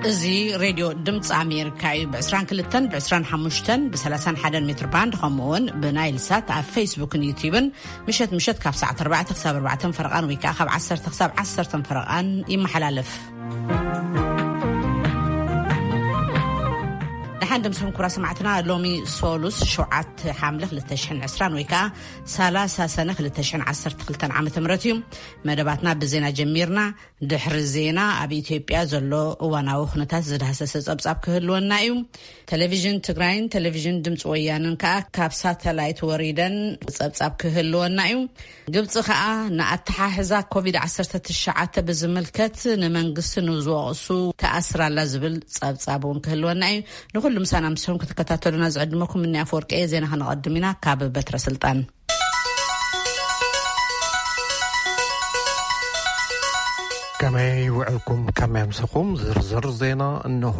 እዚ ሬድዮ ድምፂ ኣሜሪካ እዩ። ብ22፣ ብ25፣ ብ31 ሜትር ባንድ፣ ከምኡ እውን ብናይል ሳት ኣብ ፌስቡክን ዩቲዩብን ምሸት ምሸት ካብ ሰዓት ኣርባዕተ ክሳብ ኣርባዕተ ፈረቓን ወይ ከዓ ካብ ዓሰርተ ክሳብ ዓሰርተ ፈረቓን ይመሓላለፍ። ደሓን ደምስኹም ክቡራት ሰማዕትና። ሎሚ ሶሉስ ሸውዓተ ሓምለ ክልተ ሽሕን ዕስራን ወይ ከዓ ሰላሳ ሰነ ክልተ ሽሕን ዓሰርተ ክልተን ዓመተ ምህረት እዩ። መደባትና ብዜና ጀሚርና። ድሕሪ ዜና ኣብ ኢትዮጵያ ዘሎ እዋናዊ ኩነታት ዝዳህሰሰ ጸብጻብ ክህልወና እዩ። ቴሌቪዥን ትግራይን ቴሌቪዥን ድምፂ ወያንን ከኣ ካብ ሳተላይት ወሪደን ጸብጻብ ክህልወና እዩ። ግብፂ ከኣ ንኣተሓሕዛ ኮቪድ ዓሰርተ ትሽዓተ ብዝምልከት ንመንግስቲ ንዝወቕሱ ተኣስራላ ዝብል ጸብጻብ እውን ክህልወና እዩ። ንኹሉ ምሳና ምስኹም ክትከታተሉና ዝዕድመኩም እኒ ኣፈወርቂ እየ። ዜና ከነቐድም ኢና ካብ በትረ ስልጣን። ከመይ ውዕልኩም? ከመይ ኣምሰኹም? ዝርዝር ዜና እንሆ።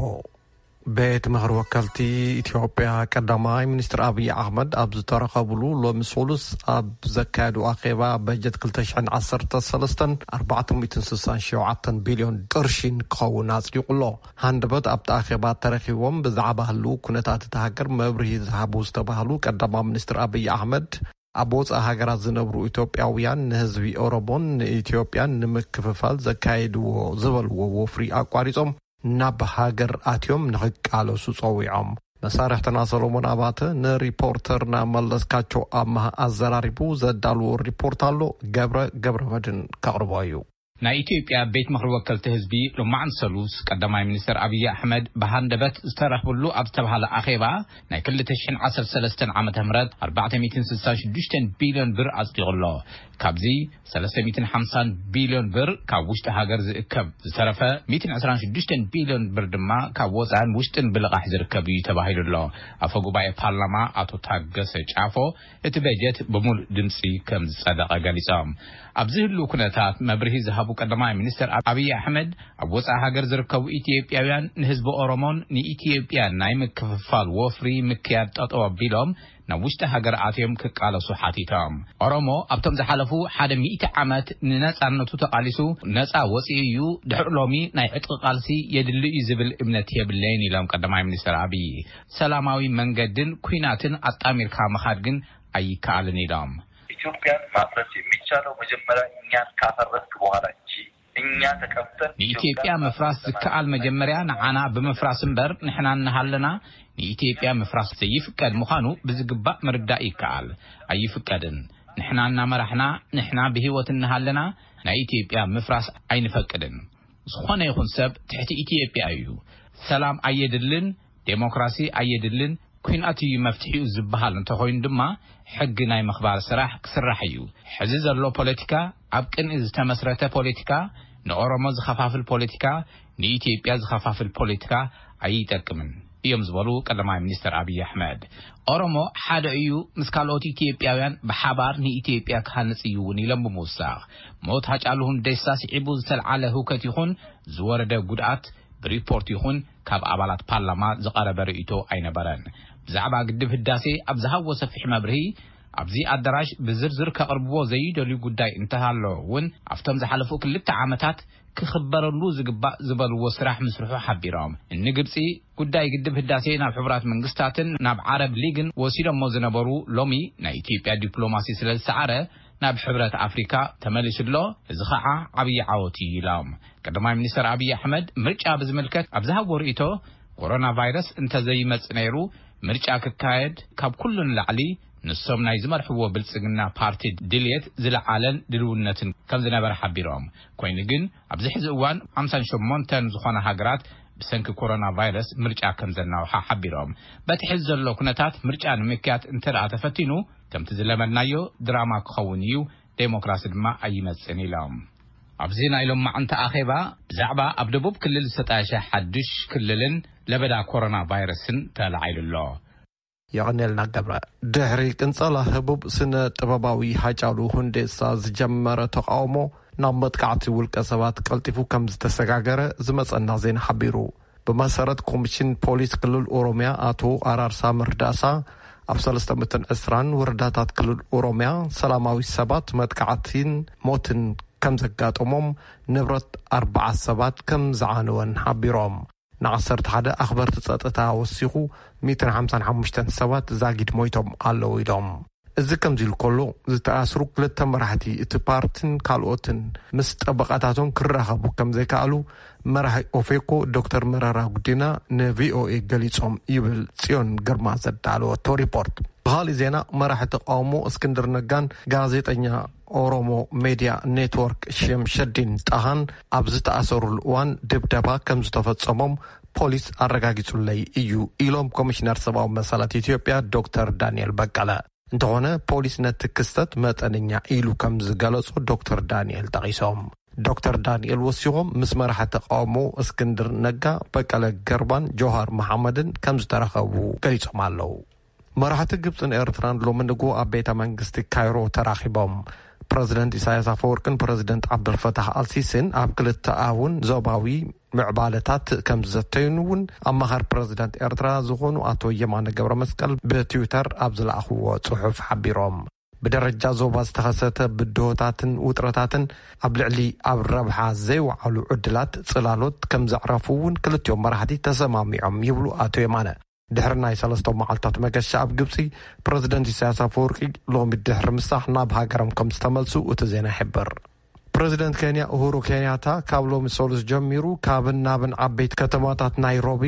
ቤት ምኽሪ ወከልቲ ኢትዮጵያ ቀዳማይ ሚኒስትር ኣብይ ኣሕመድ ኣብ ዝተረኸብሉ ሎሚ ሶሉስ ኣብ ዘካየዱ ኣኼባ በጀት ክልተ ሽሕን ዓሰርተ ሰለስተን ኣርባዕተ ሚእትን ስሳን ሸውዓተን ቢልዮን ቅርሺን ክኸውን ኣጽዲቑ ኣሎ። ሃንደበት ኣብቲ ኣኼባ ተረኺቦም ብዛዕባ ህልው ኩነታት እታ ሃገር መብርሂ ዝሃቡ ዝተባህሉ ቀዳማይ ሚኒስትር ኣብይ ኣሕመድ ኣብ ወጻኢ ሃገራት ዝነብሩ ኢትዮጵያውያን ንህዝቢ ኦሮሞን ንኢትዮጵያን ንምክፍፋል ዘካየድዎ ዝበልዎ ወፍሪ ኣቋሪጾም ናብ ሃገር ኣትዮም ንኽቃለሱ ጸዊዖም። መሳርሕትና ሰሎሞን ኣባተ ንሪፖርተርና መለስካቸው ኣማሃ ኣዘራሪቡ ዘዳልዎ ሪፖርት ኣሎ። ገብረ ገብረ መድን ከቕርቦ እዩ። ናይ ኢትዮጵያ ቤት ምኽሪ ወከልቲ ህዝቢ ሎማዕንቲ ሰሉስ ቀዳማይ ሚኒስትር ኣብይ ኣሕመድ ብሃንደበት ዝተረኽብሉ ኣብ ዝተባሃለ ኣኼባ ናይ ክልተ ሽሕን ዓሰርተ ሰለስተን ዓመተ ምህረት ኣርባዕተ ሚእትን ስሳን ሽዱሽተን ቢልዮን ብር ኣጽዲቑ ኣሎ። ካብዚ ሰለስተ ሚእትን ሓምሳን ቢልዮን ብር ካብ ውሽጢ ሃገር ዝእከብ፣ ዝተረፈ ሚእትን ዕስራን ሽዱሽተን ቢልዮን ብር ድማ ካብ ወጻእን ውሽጥን ብልቓሕ ዝርከብ እዩ ተባሂሉ ኣሎ። ኣፈ ጉባኤ ፓርላማ ኣቶ ታገሰ ጫፎ እቲ በጀት ብምሉእ ድምፂ ከም ዝጸደቐ ገሊጾም። ኣብዚ ህልው ኩነታት መብርሂ ዝሃቡ ቀዳማይ ሚኒስትር ኣብይ ኣሕመድ፣ ኣብ ወጻኢ ሃገር ዝርከቡ ኢትዮጵያውያን ንህዝቢ ኦሮሞን ንኢትዮጵያን ናይ ምክፍፋል ወፍሪ ምክያድ ጠጠው ኣቢሎም ናብ ውሽጢ ሃገር ኣትዮም ክቃለሱ ሓቲቶም። ኦሮሞ ኣብቶም ዝሓለፉ ሓደ ሚእቲ ዓመት ንነጻነቱ ተቓሊሱ ነጻ ወጺኡ እዩ። ድሕሪ ሎሚ ናይ ዕጥቂ ቃልሲ የድሊ እዩ ዝብል እምነት የብለይን ኢሎም ቀዳማይ ሚኒስትር ኣብይ። ሰላማዊ መንገድን ኲናትን ኣጣሚርካ ምኻድ ግን ኣይከኣልን ኢሎም። ኢትዮጵያን ማፍረስ የሚቻለው መጀመሪያ እኛን ካፈረስክ በኋላ እንጂ እኛ ተቀምጠን ንኢትዮጵያ ኢትዮጵያን ምፍራስ ዝከኣል መጀመሪያ ንዓና ብምፍራስ እምበር ንሕና እናሃለና ንኢትዮጵያ ምፍራስ ዘይፍቀድ ምዃኑ ብዝግባእ ምርዳእ ይከኣል። ኣይፍቀድን። ንሕና እናመራሕና፣ ንሕና ብህይወት እናሃለና ናይ ኢትዮጵያ ምፍራስ ኣይንፈቅድን። ዝኾነ ይኹን ሰብ ትሕቲ ኢትዮጵያ እዩ። ሰላም ኣየድልን፣ ዴሞክራሲ ኣየድልን፣ ኲናት እዩ መፍትሒኡ ዝበሃል እንተኾይኑ ድማ ሕጊ ናይ ምኽባር ስራሕ ክስራሕ እዩ። ሕዚ ዘሎ ፖለቲካ ኣብ ቅንኢ ዝተመስረተ ፖለቲካ፣ ንኦሮሞ ዝኸፋፍል ፖለቲካ፣ ንኢትዮጵያ ዝኸፋፍል ፖለቲካ ኣይጠቅምን እዮም ዝበሉ ቀዳማይ ሚኒስትር ኣብይ ኣሕመድ። ኦሮሞ ሓደ እዩ፣ ምስ ካልኦት ኢትዮጵያውያን ብሓባር ንኢትዮጵያ ክሃንጽ እዩ እውን ኢሎም ብምውሳኽ፣ ሞት ሃጫሉ ሁንዴሳ ስዒቡ ዝተልዓለ ህውከት ይኹን ዝወረደ ጉድኣት ብሪፖርት ይኹን ካብ ኣባላት ፓርላማ ዝቐረበ ርእይቶ ኣይነበረን። ብዛዕባ ግድብ ህዳሴ ኣብ ዝሃብዎ ሰፊሕ መብርሂ፣ ኣብዚ ኣዳራሽ ብዝርዝር ከቕርብዎ ዘይደልዩ ጉዳይ እንተሃሎ እውን ኣብቶም ዝሓለፉ ክልተ ዓመታት ክኽበረሉ ዝግባእ ዝበልዎ ስራሕ ምስርሑ ሓቢሮም። እኒ ግብፂ ጉዳይ ግድብ ህዳሴ ናብ ሕቡራት መንግስታትን ናብ ዓረብ ሊግን ወሲዶሞ ዝነበሩ ሎሚ ናይ ኢትዮጵያ ዲፕሎማሲ ስለ ዝሰዓረ ናብ ሕብረት ኣፍሪካ ተመሊሱ ኣሎ። እዚ ከዓ ዓብዪ ዓወት እዩ ኢሎም። ቀዳማይ ሚኒስትር ኣብይ ኣሕመድ ምርጫ ብዝምልከት ኣብ ዝሃብዎ ርእይቶ፣ ኮሮና ቫይረስ እንተዘይመጽእ ነይሩ ምርጫ ክካየድ ካብ ኩሉ ንላዕሊ ንሶም ናይ ዝመርሕዎ ብልጽግና ፓርቲ ድልየት ዝለዓለን ድልውነትን ከም ዝነበረ ሓቢሮም። ኮይኑ ግን ኣብዚ ሕዚ እዋን ሓምሳን ሸሞንተን ዝኾና ሃገራት ብሰንኪ ኮሮና ቫይረስ ምርጫ ከም ዘናውሓ ሓቢሮም። በቲ ሕዚ ዘሎ ኩነታት ምርጫ ንምክያድ እንተ ደኣ ተፈቲኑ ከምቲ ዝለመድናዮ ድራማ ክኸውን እዩ፣ ዴሞክራሲ ድማ ኣይመጽእን ኢሎም። ኣብዚ ናይ ሎማዕንቲ ኣኼባ ብዛዕባ ኣብ ደቡብ ክልል ዝተጣየሸ ሓዱሽ ክልልን ለበዳ ኮሮና ቫይረስን ተላዒሉ ኣሎ። የቐንየልና ገብረ። ድሕሪ ቅንጸላ ህቡብ ስነ ጥበባዊ ሃጫሉ ሁንዴሳ ዝጀመረ ተቃውሞ ናብ መጥቃዕቲ ውልቀ ሰባት ቀልጢፉ ከም ዝተሰጋገረ ዝመጸና ዜና ሓቢሩ። ብመሰረት ኮሚሽን ፖሊስ ክልል ኦሮሚያ ኣቶ ኣራርሳ መርዳሳ፣ ኣብ ሰለስተ ሚእትን ዕስራን ወረዳታት ክልል ኦሮሚያ ሰላማዊ ሰባት መጥቃዕትን ሞትን ከም ዘጋጠሞም፣ ንብረት ኣርባዓ ሰባት ከም ዝዓነወን ሓቢሮም። ንዓሰርተ ሓደ ኣኽበርቲ ጸጥታ ወሲኹ፣ ሚእትን ሓምሳን ሓሙሽተን ሰባት ዛጊድ ሞይቶም ኣለዉ ኢሎም። እዚ ከምዚ ኢሉ ከሎ፣ ዝተኣስሩ ክልተ መራሕቲ እቲ ፓርትን ካልኦትን ምስ ጠበቓታቶም ክራኸቡ ከም ዘይከኣሉ መራሒ ኦፌኮ ዶክተር መረራ ጉዲና ንቪኦኤ ገሊጾም ይብል ጽዮን ግርማ ዘዳለወቶ ሪፖርት። ብኻልእ ዜና፣ መራሒ ተቃውሞ እስክንድር ነጋን ጋዜጠኛ ኦሮሞ ሜድያ ኔትወርክ ሸምሸዲን ጣሃን ኣብ ዝተኣሰሩሉ እዋን ድብደባ ከም ዝተፈጸሞም ፖሊስ ኣረጋጊጹለይ እዩ ኢሎም ኮሚሽነር ሰብኣዊ መሰላት ኢትዮጵያ ዶክተር ዳንኤል በቀለ። እንተኾነ፣ ፖሊስ ነቲ ክስተት መጠነኛ ኢሉ ከም ዝገለጾ ዶክተር ዳንኤል ጠቒሶም። ዶክተር ዳንኤል ወሲኾም፣ ምስ መራሒ ተቃውሞ እስክንድር ነጋ፣ በቀለ ገርባን ጆሃር መሓመድን ከም ዝተራኸቡ ገሊጾም ኣለዉ። መራሕቲ ግብጽን ኤርትራን ሎሚ ንግሆ ኣብ ቤተ መንግስቲ ካይሮ ተራኺቦም። ፕረዚደንት ኢሳያስ ኣፈወርቅን ፕረዚደንት ዓብደልፈታሕ ኣልሲሲን ኣብ ክልተኣውን ዞባዊ ምዕባለታት ከም ዝዘተዩን እውን ኣማኻሪ ፕረዚደንት ኤርትራ ዝኾኑ ኣቶ የማነ ገብረ መስቀል ብትዊተር ኣብ ዝለኣኽዎ ጽሑፍ ሓቢሮም። ብደረጃ ዞባ ዝተኸሰተ ብድሆታትን ውጥረታትን ኣብ ልዕሊ ኣብ ረብሓ ዘይወዓሉ ዕድላት ጽላሎት ከም ዘዕረፉ እውን ክልቲኦም መራሕቲ ተሰማሚዖም ይብሉ ኣቶ የማነ። ድሕሪ ናይ ሰለስተ መዓልታት መገሻ ኣብ ግብጺ፣ ፕረዚደንት ኢሳያስ ኣፈወርቂ ሎሚ ድሕሪ ምሳሕ ናብ ሃገሮም ከም ዝተመልሱ እቲ ዜና ይሕብር። ፕረዚደንት ኬንያ ኡሁሩ ኬንያታ ካብ ሎሚ ሰሉስ ጀሚሩ ካብን ናብን ዓበይቲ ከተማታት ናይሮቢ፣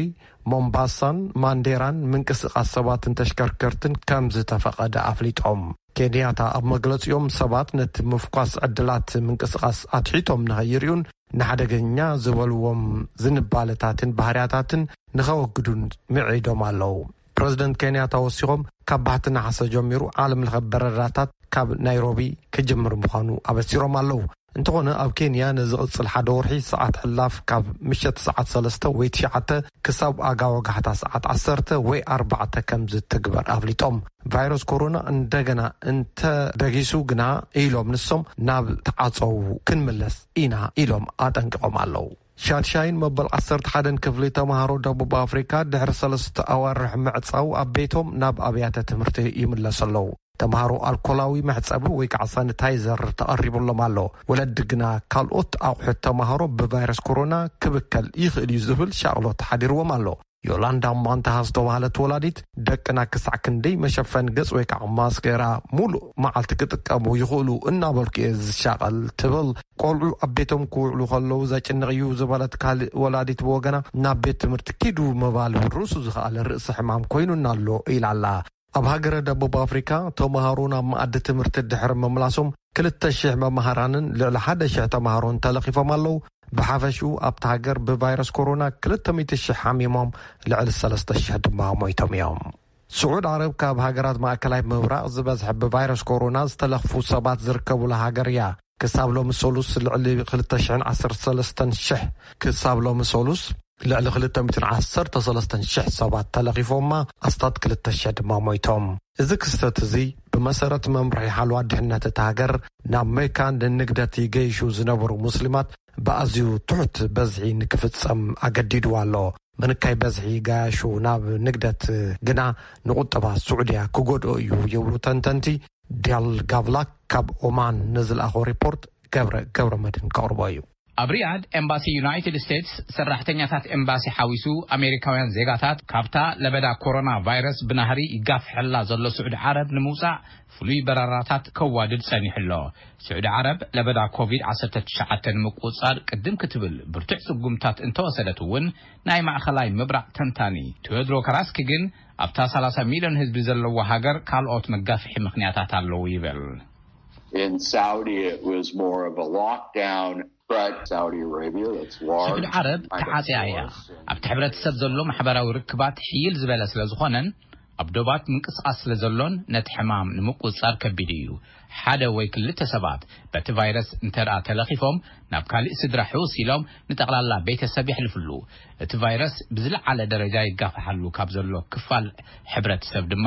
ሞምባሳን ማንዴራን ምንቅስቓስ ሰባትን ተሽከርከርትን ከም ዝተፈቐደ ኣፍሊጦም። ኬንያታ ኣብ መግለጺኦም፣ ሰባት ነቲ ምፍኳስ ዕድላት ምንቅስቓስ ኣትሒቶም ንኸይርእዩን ንሓደገኛ ዝበልዎም ዝንባለታትን ባህርያታትን ንኸወግዱን ምዒዶም ኣለዉ። ፕረዚደንት ኬንያታ ወሲኾም፣ ካብ ባሕቲ ነሓሰ ጀሚሩ ዓለም ለኸ በረራታት ካብ ናይሮቢ ክጅምር ምዃኑ ኣበሲሮም ኣለዉ። እንተኾነ፣ ኣብ ኬንያ ንዝቕጽል ሓደ ወርሒ ሰዓት ሕላፍ ካብ ምሸት ሰዓት ሰለስተ ወይ ትሽዓተ ክሳብ ኣጋ ወጋሕታ ሰዓት ዓሰርተ ወይ ኣርባዕተ ከም ዝትግበር ኣፍሊጦም። ቫይረስ ኮሮና እንደገና እንተ ደጊሱ ግና ኢሎም ንሶም፣ ናብ ተዓጸዉ ክንምለስ ኢና ኢሎም ኣጠንቂቖም ኣለዉ። ሻድሻይን መበል ዓሰርተ ሓደን ክፍሊ ተምሃሮ ደቡብ ኣፍሪካ ድሕሪ ሰለስተ ኣዋርሕ ምዕጻው ኣብ ቤቶም ናብ ኣብያተ ትምህርቲ ይምለሱ ኣለዉ። ተምሃሮ ኣልኮላዊ መሕጸቢ ወይ ከዓ ሳኒታይዘር ተቐሪቡሎም ኣሎ። ወለዲ ግና ካልኦት ኣቑሑት ተምሃሮ ብቫይረስ ኮሮና ክብከል ይኽእል እዩ ዝብል ሻቕሎት ሓዲርዎም ኣሎ። ዮላንዳ ማንታሃ ዝተባህለት ወላዲት፣ ደቅና ክሳዕ ክንደይ መሸፈኒ ገጽ ወይ ከዓ ማስክ ገይራ ሙሉእ መዓልቲ ክጥቀሙ ይኽእሉ እናበልኩ እየ ዝሻቐል ትብል። ቆልዑ ኣብ ቤቶም ክውዕሉ ከለዉ ዘጭንቕ እዩ ዝበለት ካልእ ወላዲት ብወገና፣ ናብ ቤት ትምህርቲ ኪዱ ምባል እውን ርእሱ ዝኸኣለ ርእሲ ሕማም ኮይኑና ኣሎ ኢላ ኣላ። ኣብ ሃገረ ደቡብ ኣፍሪካ፣ ተምሃሮ ናብ መኣዲ ትምህርቲ ድሕሪ ምምላሶም፣ ክልተ ሽሕ መምሃራንን ልዕሊ ሓደ ሽሕ ተምሃሮን ተለኺፎም ኣለዉ። ብሓፈሽኡ ኣብታ ሃገር ብቫይረስ ኮሮና ክልተ ሚእቲ ሽሕ ሓሚሞም፣ ልዕሊ ሰለስተ ሽሕ ድማ ሞይቶም እዮም። ስዑድ ዓረብ ካብ ሃገራት ማእከላይ ምብራቕ ዝበዝሐ ብቫይረስ ኮሮና ዝተለኽፉ ሰባት ዝርከቡላ ሃገር እያ። ክሳብ ሎሚ ሰሉስ ልዕሊ ክልተ ሽሕን ዓሰርተ ሰለስተን ሽሕ፣ ክሳብ ሎሚ ሰሉስ ልዕሊ ክልተ ሚእትን ዓሰርተ ሰለስተን ሽሕ ሰባት ተለኺፎማ፣ ኣስታት ክልተ ሽሕ ድማ ሞይቶም። እዚ ክስተት እዚ ብመሰረት መምርሒ ሓለዋ ድሕነት እታ ሃገር፣ ናብ መካ ንንግደት ይገይሹ ዝነበሩ ሙስሊማት ብኣዝዩ ትሑት በዝሒ ንክፍጸም ኣገዲድዋ ኣሎ። ምንካይ በዝሒ ገያሹ ናብ ንግደት ግና ንቁጠባ ስዑድያ ክጎድኦ እዩ ይብሉ ተንተንቲ። ዲያል ጋቭላክ ካብ ኦማን ንዝለኣኾ ሪፖርት ገብረ፣ ገብረ መድህን ከቕርቦ እዩ። ኣብ ሪያድ ኤምባሲ ዩናይትድ ስቴትስ ሰራሕተኛታት ኤምባሲ ሓዊሱ ኣሜሪካውያን ዜጋታት ካብታ ለበዳ ኮሮና ቫይረስ ብናህሪ ይጋፍሐላ ዘሎ ስዑዲ ዓረብ ንምውጻእ ፍሉይ በረራታት ከዋድድ ጸኒሑ ኣሎ። ስዑዲ ዓረብ ለበዳ ኮቪድ ዓሰርተ ትሽዓተ ንምቁጽጻር ቅድም ክትብል ብርቱዕ ስጉምታት እንተወሰደት እውን፣ ናይ ማእኸላይ ምብራቕ ተንታኒ ቴዎድሮ ካራስኪ ግን ኣብታ ሰላሳ ሚልዮን ህዝቢ ዘለዋ ሃገር ካልኦት መጋፍሒ ምኽንያታት ኣለዉ ይብል። In Saudi, it was more of a lockdown, but Saudi Arabia, that's large, ስዑዲ ዓረብ ተዓጽያ እያ። ኣብቲ ሕብረተሰብ ዘሎ ማሕበራዊ ርክባት ሕይል ዝበለ ስለ ዝኾነን ኣብ ዶባት ምንቅስቓስ ስለ ዘሎን ነቲ ሕማም ንምቁጽጻር ከቢድ እዩ። ሓደ ወይ ክልተ ሰባት በቲ ቫይረስ እንተ ደኣ ተለኺፎም ናብ ካልእ ስድራ ሕውስ ኢሎም ንጠቕላላ ቤተሰብ የሕልፍሉ። እቲ ቫይረስ ብዝለዓለ ደረጃ ይጋፍሓሉ ካብ ዘሎ ክፋል ሕብረተሰብ ድማ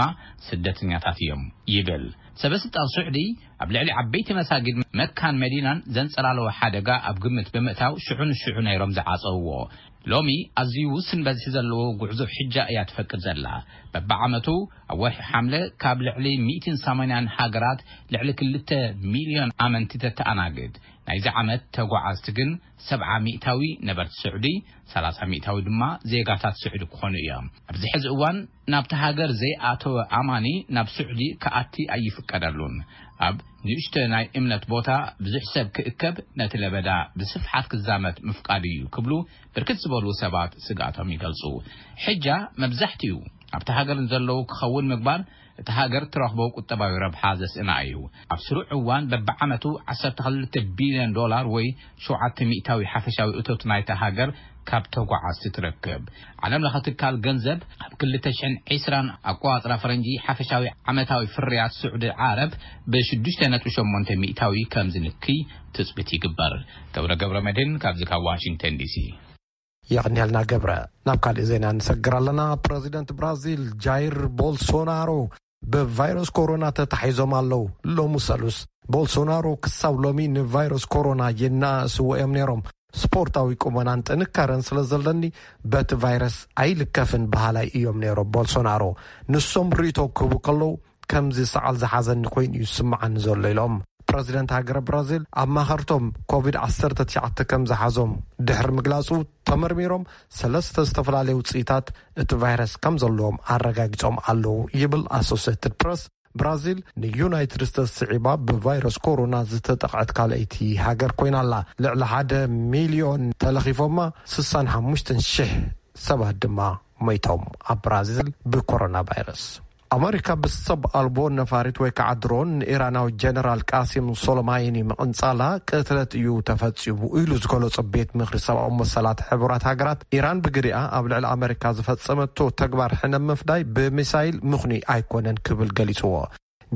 ስደተኛታት እዮም ይብል። ሰበ ስልጣን ስዑዲ ኣብ ልዕሊ ዓበይቲ መሳጊድ መካን መዲናን ዘንጸላለወ ሓደጋ ኣብ ግምት ብምእታው ሽዑ ንሽዑ ነይሮም ዝዓጸውዎ። ሎሚ ኣዝዩ ውስን በዝሒ ዘለዎ ጉዕዞ ሕጃ እያ ትፈቅድ ዘላ። በብዓመቱ ኣብ ወርሒ ሓምለ ካብ ልዕሊ ሚእትን ሰማንያን ሃገራት ልዕሊ ክልተ ሚልዮን ኣመንቲ ተተኣናግድ። ናይዚ ዓመት ተጓዓዝቲ ግን ሰብዓ ሚእታዊ ነበርቲ ስዑዲ፣ ሰላሳ ሚእታዊ ድማ ዜጋታት ስዑዲ ክኾኑ እዮም። ኣብዚ ሕዚ እዋን ናብቲ ሃገር ዘይኣተወ ኣማኒ ናብ ስዑዲ ክኣቲ ኣይፍቀደሉን። ኣብ ንእሽቶ ናይ እምነት ቦታ ብዙሕ ሰብ ክእከብ፣ ነቲ ለበዳ ብስፍሓት ክዛመት ምፍቃድ እዩ ክብሉ ብርክት ዝበሉ ሰባት ስግኣቶም ይገልጹ። ሕጃ መብዛሕትኡ ኣብቲ ሃገር ንዘለዉ ክኸውን ምግባር እቲ ሃገር ትረኽቦ ቁጠባዊ ረብሓ ዘስእና እዩ። ኣብ ስሩዕ እዋን በብዓመቱ ዓሰርተ ክልተ ቢልዮን ዶላር ወይ ሸውዓተ ሚእታዊ ሓፈሻዊ እቶት ናይታ ሃገር ካብ ተጓዓዝቲ ትረክብ። ዓለም ለኸ ትካል ገንዘብ ኣብ ክልተ ሽሕን ዕስራን ኣቆጻጽራ ፈረንጂ ሓፈሻዊ ዓመታዊ ፍርያት ስዑዲ ዓረብ ብሽዱሽተ ነጥቢ ሸሞንተ ሚእታዊ ከም ዝንክይ ትጽቢት ይግበር። ገብረ ገብረ መድህን ካብዚ ካብ ዋሽንግተን ዲሲ። የቕንየልና ገብረ። ናብ ካልእ ዜና ንሰግር ኣለና። ፕረዚደንት ብራዚል ጃይር ቦልሶናሮ ብቫይረስ ኮሮና ተታሒዞም ኣለዉ። ሎሚ ሰሉስ ቦልሶናሮ ክሳብ ሎሚ ንቫይረስ ኮሮና የናእስዎ እዮም ነይሮም። ስፖርታዊ ቁመናን ጥንካረን ስለ ዘለኒ በቲ ቫይረስ ኣይልከፍን በሃላይ እዮም ነይሮም ቦልሶናሮ። ንሶም ርእይቶ ክህቡ ከለዉ ከምዚ ሰዓል ዝሓዘኒ ኮይኑ እዩ ዝስምዓኒ ዘሎ ኢሎም። ፕረዚደንት ሃገረ ብራዚል ኣብ ማኸርቶም ኮቪድ ዓሰርተ ትሽዓተ ከም ዝሓዞም ድሕሪ ምግላጹ ተመርሚሮም ሰለስተ ዝተፈላለዩ ውጽኢታት እቲ ቫይረስ ከም ዘለዎም ኣረጋጊጾም ኣለዉ ይብል ኣሶሴትድ ፕረስ። ብራዚል ንዩናይትድ ስቴትስ ስዒባ ብቫይረስ ኮሮና ዝተጠቕዐት ካልኣይቲ ሃገር ኮይና ኣላ። ልዕሊ ሓደ ሚልዮን ተለኺፎማ፣ ስሳን ሓሙሽተን ሽሕ ሰባት ድማ ሞይቶም ኣብ ብራዚል ብኮሮና ቫይረስ። ኣመሪካ ብሰብ ኣልቦ ነፋሪት ወይ ከዓ ድሮን ንኢራናዊ ጀነራል ቃሲም ሶሎማይኒ ምቕንጻላ ቅትለት እዩ ተፈጺሙ ኢሉ ዝገለጾ ቤት ምኽሪ ሰብኣዊ መሰላት ሕቡራት ሃገራት፣ ኢራን ብግዲኣ ኣብ ልዕሊ ኣመሪካ ዝፈጸመቶ ተግባር ሕነ ምፍዳይ ብሚሳይል ምኽኑይ ኣይኮነን ክብል ገሊጽዎ።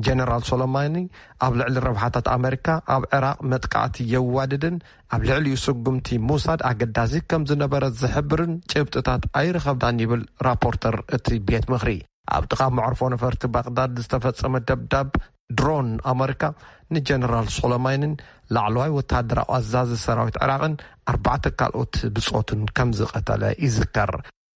ጀነራል ሶሎማኒ ኣብ ልዕሊ ረብሓታት ኣመሪካ ኣብ ዕራቕ መጥቃዕቲ የዋድድን ኣብ ልዕሊኡ ስጉምቲ ምውሳድ ኣገዳሲ ከም ዝነበረ ዝሕብርን ጭብጥታት ኣይረኸብናን ይብል ራፖርተር እቲ ቤት ምኽሪ። ኣብ ጥቓ መዕርፎ ነፈርቲ ባቕዳድ ዝተፈጸመ ደብዳብ ድሮን ኣመሪካ ንጀነራል ሶሎማይንን ላዕለዋይ ወተሃደራዊ ኣዛዚ ሰራዊት ዕራቕን ኣርባዕተ ካልኦት ብጾቱን ከም ዝቐተለ ይዝከር።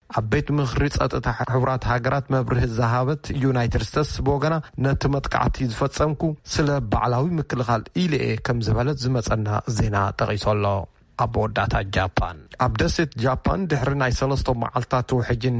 ኣብ ቤት ምኽሪ ጸጥታ ሕቡራት ሃገራት መብርሂ ዝሃበት ዩናይትድ ስቴትስ ብወገና ነቲ መጥቃዕቲ ዝፈጸምኩ ስለ ባዕላዊ ምክልኻል ኢለ እየ ከም ዝበለት ዝመጸና ዜና ጠቒሱ ኣሎ። ኣብ መወዳእታ ጃፓን ኣብ ደሴት ጃፓን ድሕሪ ናይ ሰለስተ መዓልታት ውሕጅን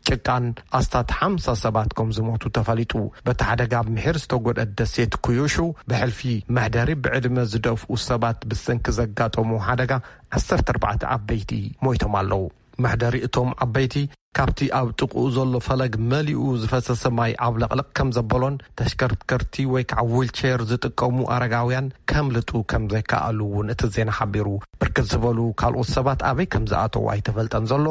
ጭቃን ኣስታት ሓምሳ ሰባት ከም ዝሞቱ ተፈሊጡ። በቲ ሓደጋ ኣብ ምሒር ዝተጎድአት ደሴት ኩዩሹ ብሕልፊ መሕደሪ ብዕድመ ዝደፍኡ ሰባት ብሰንኪ ዘጋጠሙ ሓደጋ ዓሰርተ ኣርባዕተ ዓበይቲ ሞይቶም ኣለዉ። መሕደሪ እቶም ዓበይቲ ካብቲ ኣብ ጥቕኡ ዘሎ ፈለግ መሊኡ ዝፈሰሰ ማይ ዓብለቕለቕ ከም ዘበሎን ተሽከርከርቲ ወይ ከዓ ዊልቸር ዝጥቀሙ ኣረጋውያን ከምልጡ ከም ዘይከኣሉ እውን እቲ ዜና ሓቢሩ። ብርክት ዝበሉ ካልኦት ሰባት ኣበይ ከም ዝኣተዉ ኣይተፈልጠን ዘሎ።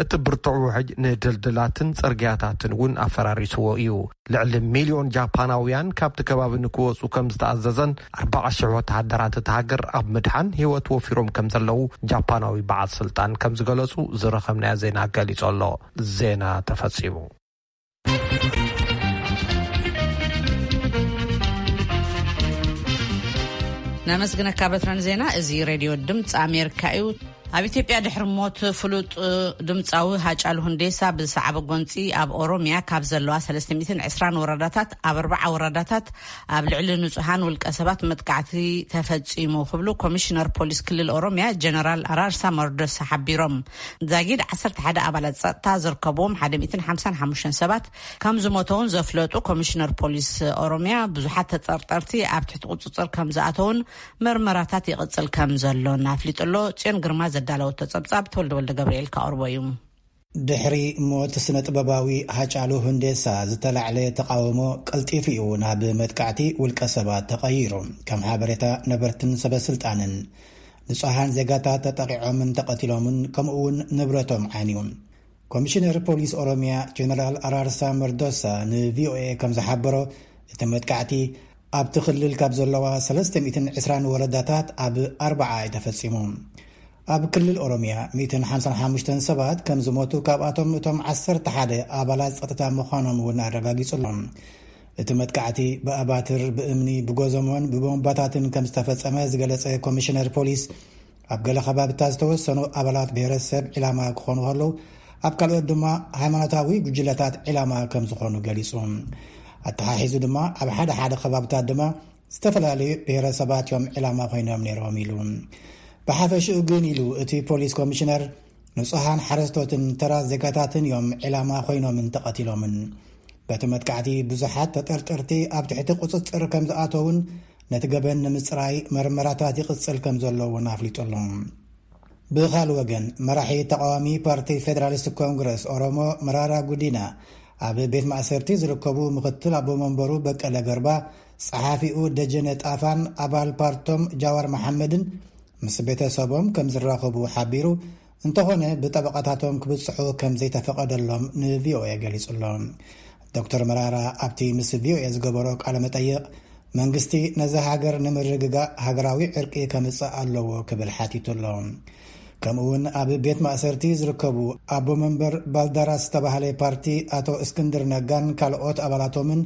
እቲ ብርቱዕ ውሕጅ ንድልድላትን ጽርግያታትን እውን ኣፈራሪስዎ እዩ። ልዕሊ ሚልዮን ጃፓናውያን ካብቲ ከባቢ ንክወጹ ከም ዝተኣዘዘን ኣርባዓ ሽሕ ወተሃደራት እቲ ሃገር ኣብ ምድሓን ህይወት ወፊሮም ከም ዘለዉ ጃፓናዊ በዓል ስልጣን ከም ዝገለጹ ዝረኸብናዮ ዜና ገሊጹ ኣሎ። ዜና ተፈጺሙ። ነመስግነካ በትረን ዜና። እዚ ሬድዮ ድምፂ ኣሜሪካ እዩ። ኣብ ኢትዮጵያ ድሕሪ ሞት ፍሉጥ ድምፃዊ ሃጫሉ ሁንዴሳ ብዝሰዓበ ጎንፂ ኣብ ኦሮሚያ ካብ ዘለዋ ሰለስተ ሚእትን ዕስራን ወረዳታት ኣብ ኣርባዓ ወረዳታት ኣብ ልዕሊ ንጹሃን ውልቀ ሰባት መጥቃዕቲ ተፈጺሙ ክብሉ ኮሚሽነር ፖሊስ ክልል ኦሮሚያ ጀነራል ኣራርሳ መርዶሳ ሓቢሮም። ዛጊድ ዓሰርተ ሓደ ኣባላት ጸጥታ ዝርከብዎም ሓደ ሚእትን ሓምሳን ሓሙሽተን ሰባት ከም ዝሞተውን ዘፍለጡ ኮሚሽነር ፖሊስ ኦሮሚያ ብዙሓት ተጠርጠርቲ ኣብ ትሕቲ ቁጽጽር ከም ዝኣተውን መርመራታት ይቕጽል ከም ዘሎን ኣፍሊጡ ኣሎ። ጽዮን ግርማ ዘዳለወቶ ጸብጻብ ተወልደ ወልደ ገብርኤል ከቕርቦ እዩ። ድሕሪ ሞት ስነ ጥበባዊ ሃጫሉ ሁንዴሳ ዝተላዕለ ተቓውሞ ቀልጢፉ እዩ ናብ መጥቃዕቲ ውልቀ ሰባት ተቐይሩ። ከም ሓበሬታ ነበርትን ሰበ ስልጣንን ንጹሃን ዜጋታት ተጠቒዖምን ተቐቲሎምን ከምኡ እውን ንብረቶም ዓንዩ። ኮሚሽነር ፖሊስ ኦሮሚያ ጀነራል ኣራርሳ መርዶሳ ን ቪኦኤ ከም ዝሓበሮ እቲ መጥቃዕቲ ኣብቲ ክልል ካብ ዘለዋ ሰለስተ ሚእትን ዕስራን ወረዳታት ኣብ ኣርባዓ እዩ ተፈጺሙ። ኣብ ክልል ኦሮሚያ ሚእትን ሓምሳን ሓሙሽተን ሰባት ከም ዝሞቱ ካብኣቶም እቶም ዓሰርተ ሓደ ኣባላት ጸጥታ ምዃኖም እውን ኣረጋጊጹ ኣሎ። እቲ መጥቃዕቲ ብኣባትር፣ ብእምኒ፣ ብጎዘሞን ብቦምባታትን ከም ዝተፈጸመ ዝገለጸ ኮሚሽነር ፖሊስ ኣብ ገለ ከባብታት ዝተወሰኑ ኣባላት ብሄረሰብ ዒላማ ክኾኑ ከለዉ ኣብ ካልኦት ድማ ሃይማኖታዊ ጉጅለታት ዒላማ ከም ዝኾኑ ገሊጹ። ኣተሓሒዙ ድማ ኣብ ሓደ ሓደ ከባብታት ድማ ዝተፈላለዩ ብሔረሰባት እዮም ዕላማ ኮይኖም ነይሮም ኢሉ። ብሓፈሽኡ ግን ኢሉ እቲ ፖሊስ ኮሚሽነር፣ ንጹሃን ሓረስቶትን ተራ ዜጋታትን እዮም ዕላማ ኮይኖምን ተቐቲሎምን። በቲ መጥቃዕቲ ብዙሓት ተጠርጠርቲ ኣብ ትሕቲ ቁጽጽር ከም ዝኣተውን ነቲ ገበን ንምጽራይ መርመራታት ይቕጽል ከም ዘሎ እውን ኣፍሊጡ ኣሎ። ብኻል ወገን፣ መራሒ ተቃዋሚ ፓርቲ ፌደራሊስት ኮንግረስ ኦሮሞ መራራ ጉዲና ኣብ ቤት ማእሰርቲ ዝርከቡ ምክትል ኣቦ መንበሩ በቀለ ገርባ፣ ጸሓፊኡ ደጀነ ጣፋን ኣባል ፓርቶም ጃዋር መሓመድን ምስ ቤተሰቦም ከም ዝራኸቡ ሓቢሩ፣ እንተኾነ ብጠበቓታቶም ክብጽሑ ከም ዘይተፈቐደሎም ንቪኦኤ ገሊጹ ኣሎ። ዶክተር መራራ ኣብቲ ምስ ቪኦኤ ዝገበሮ ቃለ መጠይቕ፣ መንግስቲ ነዚ ሃገር ንምርግጋእ ሃገራዊ ዕርቂ ከምጽእ ኣለዎ ክብል ሓቲቱ ኣሎ። ከምኡውን ኣብ ቤት ማእሰርቲ ዝርከቡ ኣቦ መንበር ባልዳራስ ዝተባህለ ፓርቲ ኣቶ እስክንድር ነጋን ካልኦት ኣባላቶምን፣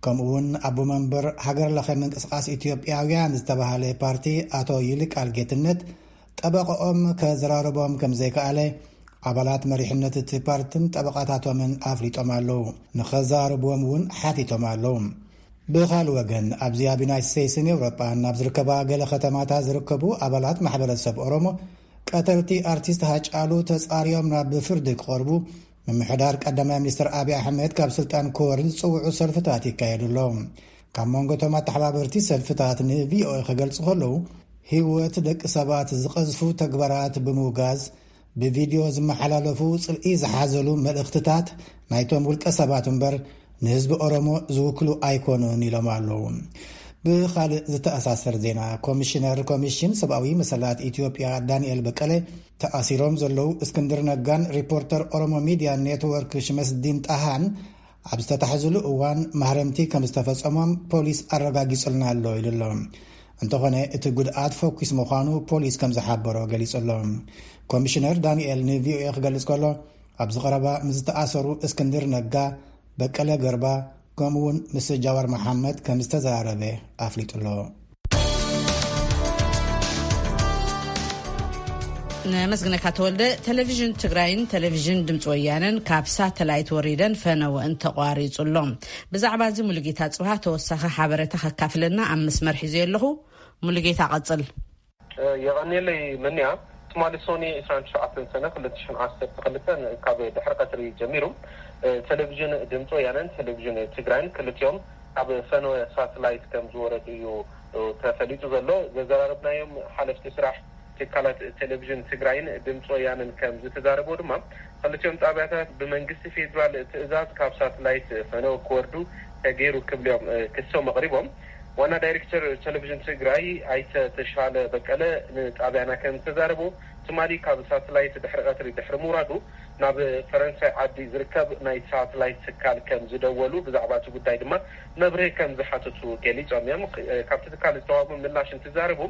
ከምኡውን ኣቦ መንበር ሃገር ለኸ ምንቅስቃስ ኢትዮጵያውያን ዝተባህለ ፓርቲ ኣቶ ይልቃል ጌትነት፣ ጠበቃኦም ከዘራርቦም ከም ዘይከኣለ ኣባላት መሪሕነት እቲ ፓርትን ጠበቃታቶምን ኣፍሊጦም ኣለዉ። ንኸዘራርብዎም እውን ሓቲቶም ኣለዉ። ብኻል ወገን፣ ኣብዚ ኣብ ዩናይትድ ስቴትስን ኤውሮጳን ኣብ ዝርከባ ገለ ከተማታት ዝርከቡ ኣባላት ማሕበረሰብ ኦሮሞ፣ ቀተልቲ ኣርቲስት ሃጫሉ ተጻርዮም ናብ ፍርዲ ክቐርቡ፣ ምምሕዳር ቀዳማይ ሚኒስትር ኣብይ ኣሕመድ ካብ ስልጣን ክወርድ ዝጽውዑ ሰልፍታት ይካየዱ ኣሎ። ካብ መንጎ እቶም ኣተሓባበርቲ ሰልፍታት ንቪኦኤ ክገልጹ ከለዉ፣ ህይወት ደቂ ሰባት ዝቐዝፉ ተግባራት ብምውጋዝ፣ ብቪድዮ ዝመሓላለፉ ጽልኢ ዝሓዘሉ መልእኽትታት ናይቶም ውልቀ ሰባት እምበር፣ ንህዝቢ ኦሮሞ ዝውክሉ ኣይኮኑን ኢሎም ኣለዉ። ብኻልእ ዝተኣሳሰር ዜና፣ ኮሚሽነር ኮሚሽን ሰብኣዊ መሰላት ኢትዮጵያ ዳንኤል በቀለ፣ ተኣሲሮም ዘለዉ እስክንድር ነጋን ሪፖርተር ኦሮሞ ሚድያ ኔትወርክ ሽመስዲን ጣሃን ኣብ ዝተታሕዝሉ እዋን ማህረምቲ ከም ዝተፈጸሞም ፖሊስ ኣረጋጊጹልና ኣሎ ኢሉ ኣሎ። እንተኾነ እቲ ጉድኣት ፈኲስ ምዃኑ ፖሊስ ከም ዝሓበሮ ገሊጹ ኣሎ። ኮሚሽነር ዳንኤል ንቪኦኤ ክገልጽ ከሎ፣ ኣብዚ ቀረባ ምስ ዝተኣሰሩ እስክንድር ነጋ፣ በቀለ ገርባ፣ ከምኡውን ምስ ጃዋር መሓመድ ከም ዝተዘራረበ ኣፍሊጡ ኣሎ። ነመስግነካ ተወልደ። ቴሌቪዥን ትግራይን ቴሌቪዥን ድምፂ ወያነን ካብ ሳተላይት ወሪደን ፈነወ እንተቋሪፁ ኣሎ። ብዛዕባ እዚ ሙሉጌታ ፅባህ ተወሳኺ ሓበሬታ ከካፍለና ኣብ መስመር ሒዘ ኣለኹ። ሙሉጌታ ቀፅል። የቐንየለይ መንያ። ትማሊ ሶኒ ዕስራን ትሽዓተን ሰነ ክልተ ሽሕን ዓሰርተ ክልተን ካብ ድሕሪ ቀትሪ ጀሚሩ፣ ቴሌቪዥን ድምፂ ወያነን ቴሌቪዥን ትግራይን ክልቲኦም ኣብ ፈነወ ሳትላይት ከም ዝወረዱ እዩ ተፈሊጡ ዘሎ። ዘዘራረብናዮም ሓለፍቲ ስራሕ ትካላት ቴሌቪዥን ትግራይን ድምፂ ወያነን ከም ዝተዛረቦ ድማ፣ ክልቲኦም ጣብያታት ብመንግስቲ ፌዴራል ትእዛዝ ካብ ሳትላይት ፈነወ ክወርዱ ተገይሩ ክብልዮም ክሶም ኣቕሪቦም። ዋና ዳይሬክተር ቴሌቪዥን ትግራይ ኣይተ ተሻለ በቀለ ንጣብያና ከም ዝተዛረቡ፣ ትማሊ ካብ ሳትላይት ድሕሪ ቀትሪ ድሕሪ ምውራዱ ናብ ፈረንሳይ ዓዲ ዝርከብ ናይ ሳትላይት ትካል ከም ዝደወሉ፣ ብዛዕባ እቲ ጉዳይ ድማ መብርሂ ከም ዝሓተቱ ገሊጾም እዮም። ካብቲ ትካል ዝተዋህቡ ምላሽ እንትዛረቡ፣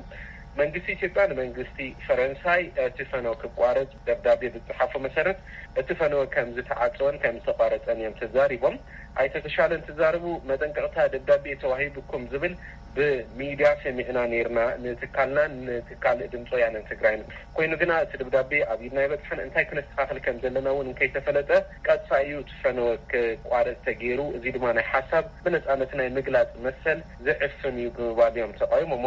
መንግስቲ ኢትዮጵያ ንመንግስቲ ፈረንሳይ እቲ ፈነወ ክቋረጽ ደብዳቤ ብዝጸሓፎ መሰረት፣ እቲ ፈነወ ከም ዝተዓጸወን ከም ዝተቋረጸን እዮም ተዛሪቦም። ኣይተ ተሻለ እንትዛረቡ፣ መጠንቀቕታ ደብዳቤ ተዋሂቡኩም ዝብል ብሚድያ ሰሚዕና ነይርና፣ ንትካልናን ንትካል ድምፂ ወያነን ትግራይን። ኮይኑ ግና እቲ ደብዳቤ ኣብ ኢድና ኣይበጽሐን፣ እንታይ ክነስተኻኽል ከም ዘለና እውን እንከይተፈለጠ ቀጻይ እዩ እቲ ፈነወ ክቋረጽ ተገይሩ። እዚ ድማ ናይ ሓሳብ ብነጻነት ናይ ምግላጽ መሰል ዝዕፍን እዩ ብምባል እዮም ተቃዊሞሞ።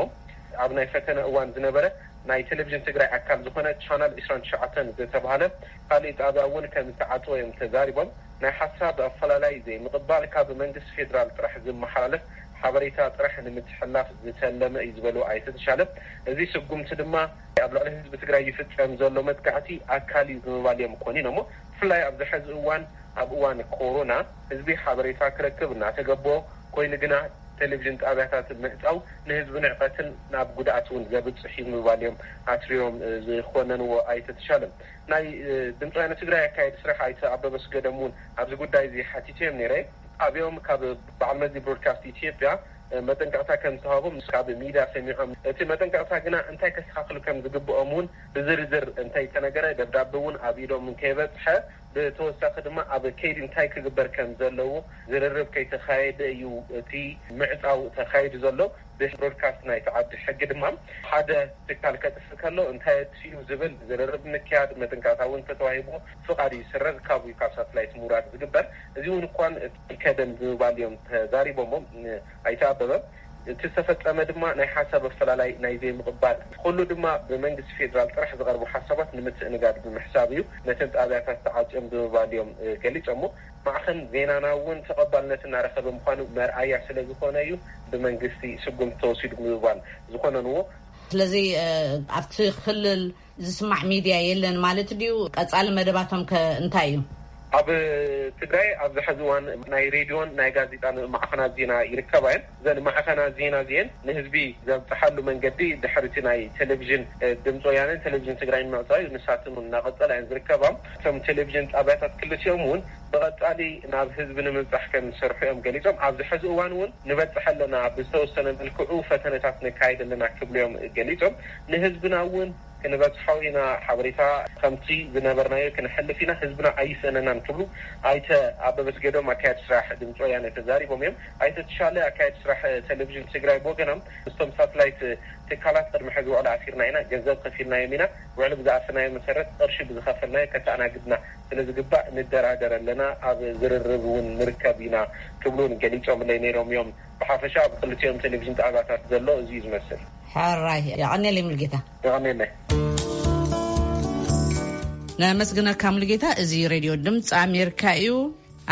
ኣብ ናይ ፈተነ እዋን ዝነበረ ናይ ቴሌቪዥን ትግራይ ኣካል ዝኾነ ቻናል ዕስራን ትሽዓተን ዝተባህለ ካልእ ጣብያ እውን ከም ዝተዓጽወ እዮም ተዛሪቦም። ናይ ሓሳብ ኣፈላላይ ዘይምቕባል፣ ካብ መንግስቲ ፌዴራል ጥራሕ ዝመሓላለፍ ሓበሬታ ጥራሕ ንምትሕልላፍ ዝተለመ እዩ ዝበሉ ኣይተ ተሻለ፣ እዚ ስጉምቲ ድማ ኣብ ልዕሊ ህዝቢ ትግራይ ይፍጸም ዘሎ መጥቃዕቲ ኣካል እዩ ብምባል እዮም ኮኒኖሞ። ብፍላይ ኣብዚ ሕዚ እዋን፣ ኣብ እዋን ኮሮና፣ ህዝቢ ሓበሬታ ክረክብ እናተገቦ ኮይኑ ግና፣ ቴሌቪዥን ጣብያታት ምዕጻው ንህዝቢ ንዕቀትን ናብ ጉድኣት እውን ዘብጽሕ እዩ ብምባል እዮም ኣትሪሮም ዝኾነንዎ ኣይተ ተሻለ። ናይ ድምፂ ወያነ ትግራይ ኣካየዲ ስራሕ ኣይተ ኣበበ ኣስገዶም እውን ኣብዚ ጉዳይ እዚ ሓቲተዮም ነይረ። ጣብያኦም ካብ በዓል መዚ ብሮድካስት ኢትዮጵያ መጠንቀቕታ ከም ዝተዋህቦም ካብ ሚድያ ሰሚዖም። እቲ መጠንቀቕታ ግና እንታይ ከስተኻኽሉ ከም ዝግብኦም እውን ብዝርዝር እንተይተነገረ፣ ደብዳቤ እውን ኣብ ኢዶም እንከይበፅሐ፣ ብተወሳኺ ድማ ኣብ ከይዲ እንታይ ክግበር ከም ዘለዎ ዝርርብ ከይተኻየደ እዩ እቲ ምዕፃው ተኻይዱ ዘሎ። ብብሮድካስት ናይቲ ዓዲ ሕጊ ድማ ሓደ ትካል ከጥፍእ ከሎ እንታይ ኣጥፊኡ ዝብል ዝርርብ ምክያድ፣ መጠንቀቕታ እውን ተተዋሂቡ ፍቓድ ይስረዝ፣ ካብኡ ካብ ሳትላይት ምውራድ ዝግበር። እዚ እውን እኳን ከደም ብምባል እዮም ተዛሪቦሞ ኣይተ ኣበበ። እቲ ዝተፈጸመ ድማ ናይ ሓሳብ ኣፈላላይ ናይ ዘይምቕባል፣ ኩሉ ድማ ብመንግስቲ ፌዴራል ጥራሕ ዝቐርቡ ሓሳባት ንምትእንጋድ ብምሕሳብ እዩ ነተን ጣብያታት ተዓጽዮም ብምባል እዮም ገሊጾሞ። ማዕኸን ዜናና እውን ተቐባልነት እናረኸበ ምዃኑ መርኣያ ስለ ዝኾነ እዩ ብመንግስቲ ስጉምቲ ተወሲዱ ብምባል ዝኾነንዎ። ስለዚ ኣብቲ ክልል ዝስማዕ ሚድያ የለን ማለት ድዩ? ቀጻሊ መደባቶም ከ እንታይ እዩ? ኣብ ትግራይ ኣብዚ ሕዚ እዋን ናይ ሬድዮን ናይ ጋዜጣን ማዕኸናት ዜና ይርከባ እየን። እዘን ማዕኸናት ዜና እዚአን ንህዝቢ ዘብፅሓሉ መንገዲ ድሕሪ እቲ ናይ ቴሌቪዥን ድምፂ ወያነን ቴሌቪዥን ትግራይን ምዕፃው እዩ። ንሳትን እውን እናቐፀላ እየን ዝርከባ። እቶም ቴሌቪዥን ጣብያታት ክልቲኦም እውን ብቐፃሊ ናብ ህዝቢ ንምብፃሕ ከም ዝሰርሑ እዮም ገሊፆም። ኣብዚ ሕዚ እዋን እውን ንበፅሕ ኣለና፣ ብዝተወሰነ መልክዑ ፈተነታት ነካይድ ኣለና ክብሉ እዮም ገሊፆም። ንህዝብና እውን ክንበፅሖ ኢና፣ ሓበሬታ ከምቲ ዝነበርናዮ ክንሕልፍ ኢና፣ ህዝብና ኣይስእነናን ክብሉ ኣይተ ኣበበ ኣስገዶም ኣካየዲ ስራሕ ድምፂ ወያነ ተዛሪቦም እዮም። ኣይተ ተሻለ ኣካየዲ ስራሕ ቴሌቪዥን ትግራይ ብወገኖም፣ ምስቶም ሳትላይት ትካላት ቅድሚ ሕዚ ውዕል ኣሲርና ኢና፣ ገንዘብ ከፊልናዮም ኢና፣ ውዕሊ ብዝኣተናዮ መሰረት ቅርሺ ብዝኸፈልናዮ ከተኣናግድና ስለ ዝግባእ ንደራደር ኣለና፣ ኣብ ዝርርብ እውን ንርከብ ኢና ክብሉ እውን ገሊፆምለይ ነይሮም እዮም። ብሓፈሻ ኣብ ክልቲኦም ቴሌቪዥን ጣብያታት ዘሎ እዚ እዩ ዝመስል። ሕራይ፣ የቐንየለይ ሙልጌታ። የቐንየለይ። ነመስግነካ ሙልጌታ። እዚ ሬድዮ ድምፂ ኣሜሪካ እዩ።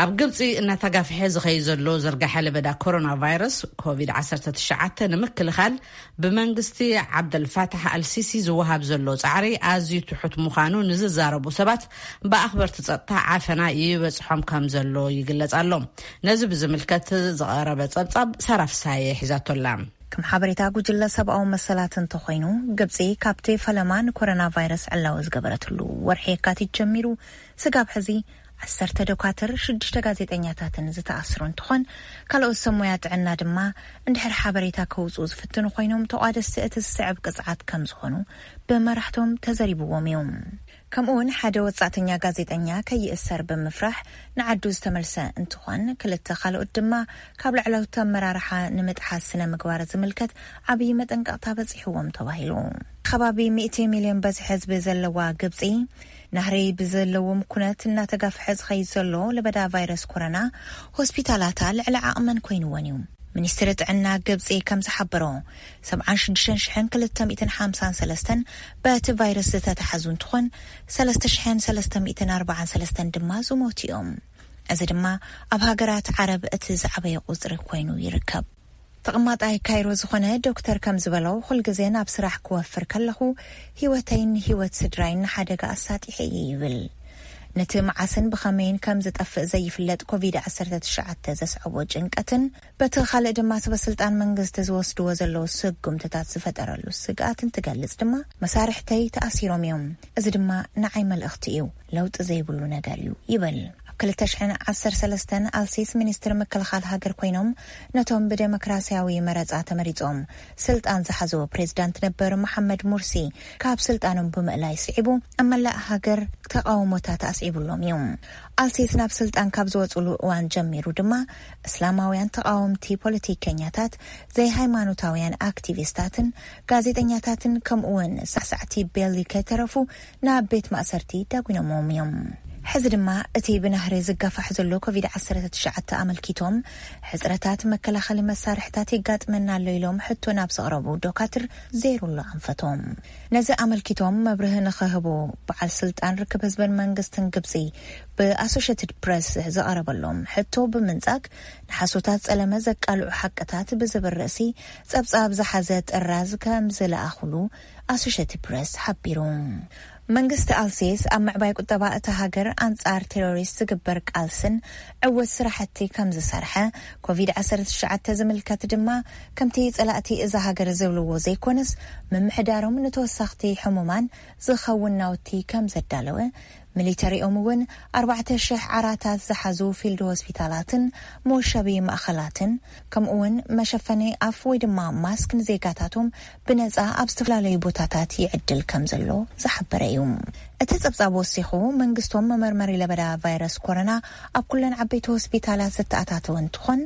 ኣብ ግብፂ እናተጋፍሐ ዝኸይ ዘሎ ዝርጋሐ ለበዳ ኮሮና ቫይረስ ኮቪድ ዓሰርተ ትሽዓተ ንምክልኻል ብመንግስቲ ዓብደልፋታሕ ኣልሲሲ ዝወሃብ ዘሎ ፃዕሪ ኣዝዩ ትሑት ምዃኑ ንዝዛረቡ ሰባት፣ ብኣኽበርቲ ጸጥታ ዓፈና ይበጽሖም ከም ዘሎ ይግለጽ ኣሎ። ነዚ ብዝምልከት ዝቐረበ ጸብጻብ ሳራ ፍሳየ ሒዛቶላ። ከም ሓበሬታ ጉጅለ ሰብኣዊ መሰላት እንተኾይኑ፣ ግብጺ ካብቲ ፈለማ ንኮሮና ቫይረስ ዕላዊ ዝገበረትሉ ወርሒ የካቲት ጀሚሩ፣ ስጋብ ሕዚ ዓሰርተ ዶካትር፣ ሽዱሽተ ጋዜጠኛታትን ዝተኣስሩ እንትኾን፣ ካልኦት ሰብ ሞያ ጥዕና ድማ እንድሕር ሓበሬታ ከውፅኡ ዝፍትኑ ኮይኖም፣ ተቋደስቲ እቲ ዝስዕብ ቅፅዓት ከም ዝኾኑ ብመራሕቶም ተዘሪብዎም እዩ። ከምኡ እውን ሓደ ወጻእተኛ ጋዜጠኛ ከይእሰር ብምፍራሕ ንዓዱ ዝተመልሰ እንትኾን፣ ክልተ ካልኦት ድማ ካብ ላዕለዎት ኣመራርሓ ንምጥሓስ ስነ ምግባር ዝምልከት ዓብዪ መጠንቀቕታ በጺሕዎም ተባሂሉ። ከባቢ ሚእቲ ሚልዮን በዝሒ ህዝቢ ዘለዋ ግብጺ፣ ናህሪ ብዘለዎም ኩነት እናተጋፍሐ ዝኸይድ ዘሎ ለበዳ ቫይረስ ኮሮና፣ ሆስፒታላታ ልዕሊ ዓቕመን ኮይንወን እዩ። ሚኒስትሪ ጥዕና ግብጺ ከም ዝሓበሮ፣ ሰብዓን ሽዱሽተን ሽሕን ክልተ ሚእትን ሓምሳን ሰለስተን በቲ ቫይረስ ዝተታሓዙ እንትኾን፣ ሰለስተ ሽሕን ሰለስተ ሚእትን ኣርባዓን ሰለስተን ድማ ዝሞቱ እዮም። እዚ ድማ ኣብ ሃገራት ዓረብ እቲ ዝዓበየ ቁጽሪ ኮይኑ ይርከብ። ተቐማጣይ ካይሮ ዝኾነ ዶክተር ከም ዝበሎ፣ ኩልግዜ ናብ ስራሕ ክወፍር ከለኹ፣ ህይወተይን ህይወት ስድራይን ንሓደጋ ኣሳጢሐ እየ ይብል። ነቲ መዓስን ብኸመይን ከም ዝጠፍእ ዘይፍለጥ ኮቪድ ዓሰርተ ትሽዓተ ዘስዐቦ ጭንቀትን፣ በቲ ካልእ ድማ ሰበ ስልጣን መንግስቲ ዝወስድዎ ዘለዉ ስጉምትታት ዝፈጠረሉ ስግኣትን ትገልጽ ድማ፣ መሳርሕተይ ተኣሲሮም እዮም። እዚ ድማ ንዓይ መልእኽቲ እዩ። ለውጢ ዘይብሉ ነገር እዩ ይብል። ኣብ ክልተ ሽሕን ዓሰርተ ሰለስተን ኣልሲስ ሚኒስትር ምክልኻል ሃገር ኮይኖም፣ ነቶም ብዴሞክራሲያዊ መረጻ ተመሪጾም ስልጣን ዝሓዝዎ ፕሬዝዳንት ነበር መሓመድ ሙርሲ ካብ ስልጣኖም ብምእላይ ስዒቡ፣ ኣብ መላእ ሃገር ተቓውሞታት ኣስዒቡሎም እዩ። ኣልሲስ ናብ ስልጣን ካብ ዝወጽሉ እዋን ጀሚሩ ድማ፣ እስላማውያን ተቓወምቲ ፖለቲከኛታት፣ ዘይሃይማኖታውያን ኣክቲቪስታትን ጋዜጠኛታትን፣ ከምኡ እውን ሳዕሳዕቲ ቤሊ ከይተረፉ ናብ ቤት ማእሰርቲ ዳጒኖሞም እዮም። ሕዚ ድማ እቲ ብናህሪ ዝጋፋሕ ዘሎ ኮቪድ ዓሰርተ ትሽዓተ ኣመልኪቶም፣ ሕጽረታት መከላኸሊ መሳርሕታት የጋጥመና ኣሎ ኢሎም ሕቶ ናብ ዘቕረቡ ዶካትር፣ ዜሩሉ ኣንፈቶም። ነዚ ኣመልኪቶም መብርሂ ንኽህቡ፣ በዓል ስልጣን ርክብ ህዝብን መንግስትን ግብጺ ብኣሶሼትድ ፕረስ ዝቐረበሎም ሕቶ ብምንጻግ፣ ንሓሶታት ጸለመ ዘቃልዑ ሓቅታት ብዝብል ርእሲ ጸብጻብ ዝሓዘ ጥራዝ ከም ዝለኣኹሉ ኣሶሼትድ ፕረስ ሓቢሩ። መንግስቲ ኣልሲስ ኣብ ምዕባይ ቁጠባ እታ ሃገር ኣንጻር ቴሮሪስት ዝግበር ቃልስን ዕውት ስራሕቲ ከም ዝሰርሐ፣ ኮቪድ ዓሰርተ ትሽዓተ ዝምልከት ድማ ከምቲ ጸላእቲ እዛ ሃገር ዝብልዎ ዘይኮነስ፣ ምምሕዳሮም ንተወሳኽቲ ሕሙማን ዝኸውን ናውቲ ከም ዘዳለወ፣ ሚሊተሪኦም እውን ኣርባዕተ ሽሕ ዓራታት ዝሓዙ ፊልድ ሆስፒታላትን መወሸቢ ማእኸላትን፣ ከምኡ እውን መሸፈኒ ኣፍ ወይ ድማ ማስክ ንዜጋታቶም ብነጻ ኣብ ዝተፈላለዩ ቦታታት ይዕድል ከም ዘሎ ዝሓበረ እዩ። እቲ ጸብጻብ ወሲኹ፣ መንግስቶም መመርመሪ ለበዳ ቫይረስ ኮሮና ኣብ ኩለን ዓበይቲ ሆስፒታላት ዝተኣታተወ እንትኾን፣